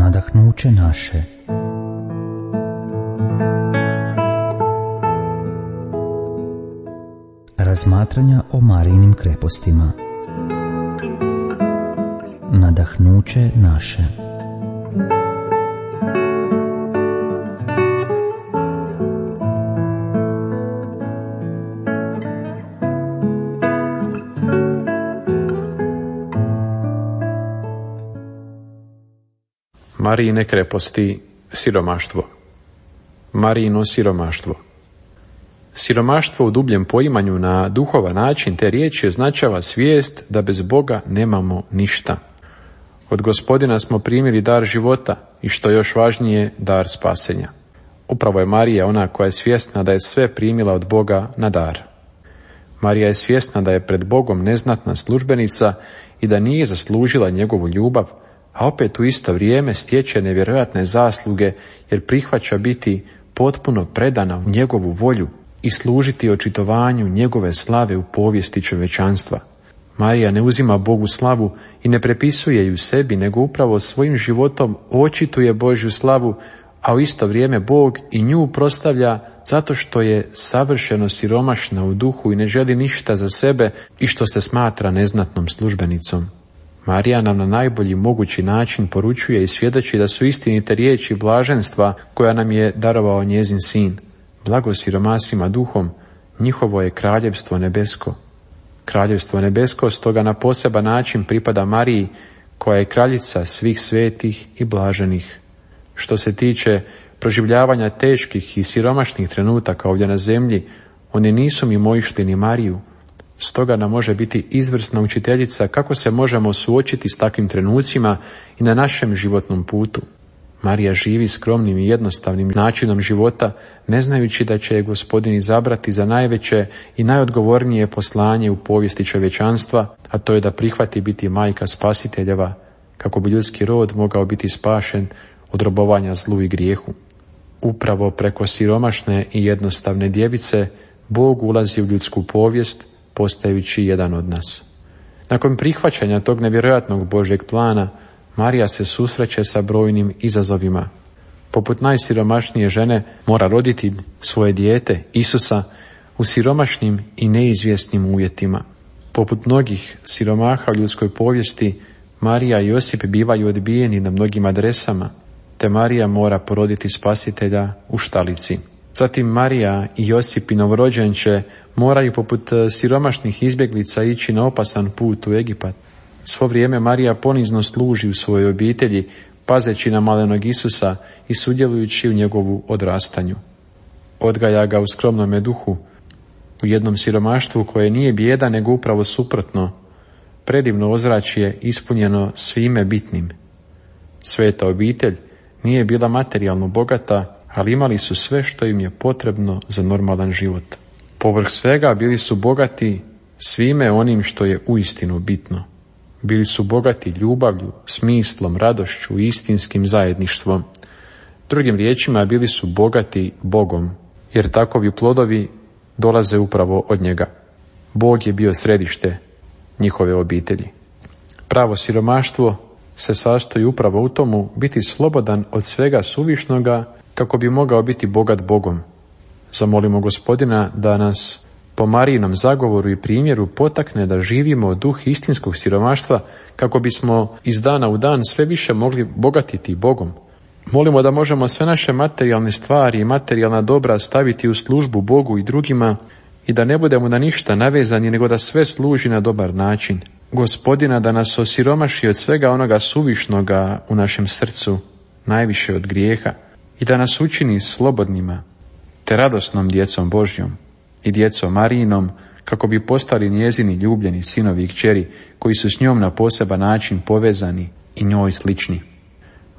nadahnuće naše. Razmatranja o Marijinim krepostima. Nadahnuće naše. Marijine kreposti, siromaštvo. Marijino siromaštvo. Siromaštvo u dubljem poimanju na duhovan način te riječi označava svijest da bez Boga nemamo ništa. Od Gospodina smo primili dar života i što još važnije, dar spasenja. Upravo je Marija ona koja je svjesna da je sve primila od Boga na dar. Marija je svjesna da je pred Bogom neznatna službenica i da nije zaslužila njegovu ljubav, a opet u isto vrijeme stječe nevjerojatne zasluge jer prihvaća biti potpuno predana u njegovu volju i služiti očitovanju njegove slave u povijesti čovječanstva. Marija ne uzima Bogu slavu i ne prepisuje ju sebi, nego upravo svojim životom očituje Božju slavu, a u isto vrijeme Bog i nju proslavlja zato što je savršeno siromašna u duhu i ne želi ništa za sebe i što se smatra neznatnom službenicom. Marija nam na najbolji mogući način poručuje i svjedoči da su istinite riječi blaženstva koja nam je darovao njezin sin. Blago siromasima duhom, njihovo je kraljevstvo nebesko. Kraljevstvo nebesko stoga na poseban način pripada Mariji, koja je kraljica svih svetih i blaženih. Što se tiče proživljavanja teških i siromašnih trenutaka ovdje na zemlji, oni nisu mimoišli ni Mariju. Stoga nam može biti izvrsna učiteljica kako se možemo suočiti s takvim trenucima i na našem životnom putu. Marija živi skromnim i jednostavnim načinom života, ne znajući da će je Gospodin izabrati za najveće i najodgovornije poslanje u povijesti čovječanstva, a to je da prihvati biti majka spasiteljeva, kako bi ljudski rod mogao biti spašen od robovanja zlu i grijehu. Upravo preko siromašne i jednostavne djevice Bog ulazi u ljudsku povijest, postajući jedan od nas. Nakon prihvaćanja tog nevjerojatnog Božjeg plana, Marija se susreće sa brojnim izazovima. Poput najsiromašnije žene mora roditi svoje dijete, Isusa, u siromašnim i neizvjesnim uvjetima. Poput mnogih siromaha u ljudskoj povijesti, Marija i Josip bivaju odbijeni na mnogim adresama, te Marija mora poroditi spasitelja u štalici. Zatim Marija i Josip i novorođenče moraju poput siromašnih izbjeglica ići na opasan put u Egipat. Svo vrijeme Marija ponizno služi u svojoj obitelji, pazeći na malenog Isusa i sudjelujući u njegovu odrastanju. Odgaja ga u skromnome duhu, u jednom siromaštvu koje nije bijeda nego upravo suprotno. Predivno ozračje ispunjeno svime bitnim. Sveta obitelj nije bila materijalno bogata, ali imali su sve što im je potrebno za normalan život. Povrh svega bili su bogati svime onim što je uistinu bitno. Bili su bogati ljubavlju, smislom, radošću i istinskim zajedništvom. Drugim riječima, bili su bogati Bogom, jer takovi plodovi dolaze upravo od njega. Bog je bio središte njihove obitelji. Pravo siromaštvo se sastoji upravo u tomu biti slobodan od svega suvišnoga kako bi mogao biti bogat Bogom. Zamolimo Gospodina da nas po Marijinom zagovoru i primjeru potakne da živimo duh istinskog siromaštva kako bismo iz dana u dan sve više mogli bogatiti Bogom. Molimo da možemo sve naše materijalne stvari i materijalna dobra staviti u službu Bogu i drugima i da ne budemo na ništa navezani nego da sve služi na dobar način. Gospodina da nas osiromaši od svega onoga suvišnoga u našem srcu, najviše od grijeha, i da nas učini slobodnima te radosnom djecom Božjom i djecom Marijinom, kako bi postali njezini ljubljeni sinovi i kćeri koji su s njom na poseban način povezani i njoj slični.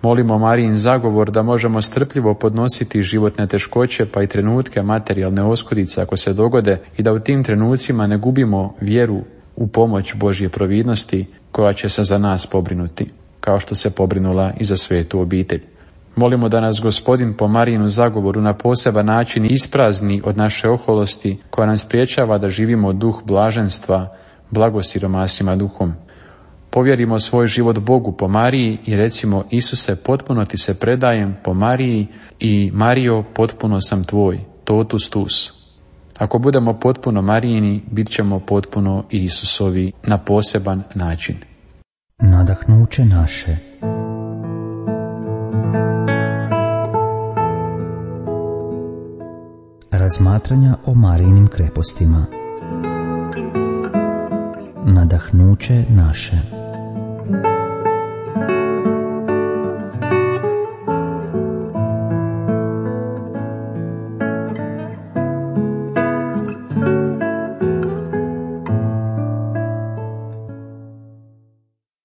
Molimo Marijin zagovor da možemo strpljivo podnositi životne teškoće pa i trenutke materijalne oskudice ako se dogode i da u tim trenucima ne gubimo vjeru u pomoć Božje providnosti koja će se za nas pobrinuti, kao što se pobrinula i za svetu obitelj. Molimo da nas Gospodin po Marijinu zagovoru na poseban način isprazni od naše oholosti koja nam spriječava da živimo duh blaženstva, blagosiromasima duhom. Povjerimo svoj život Bogu po Mariji i recimo: Isuse, potpuno ti se predajem po Mariji i Marijo, potpuno sam tvoj, totus tus. Ako budemo potpuno Marijini, bit ćemo potpuno Isusovi na poseban način. Nadahnuće naše. Razmatranja o Marijinim krepostima. Nadahnuće naše.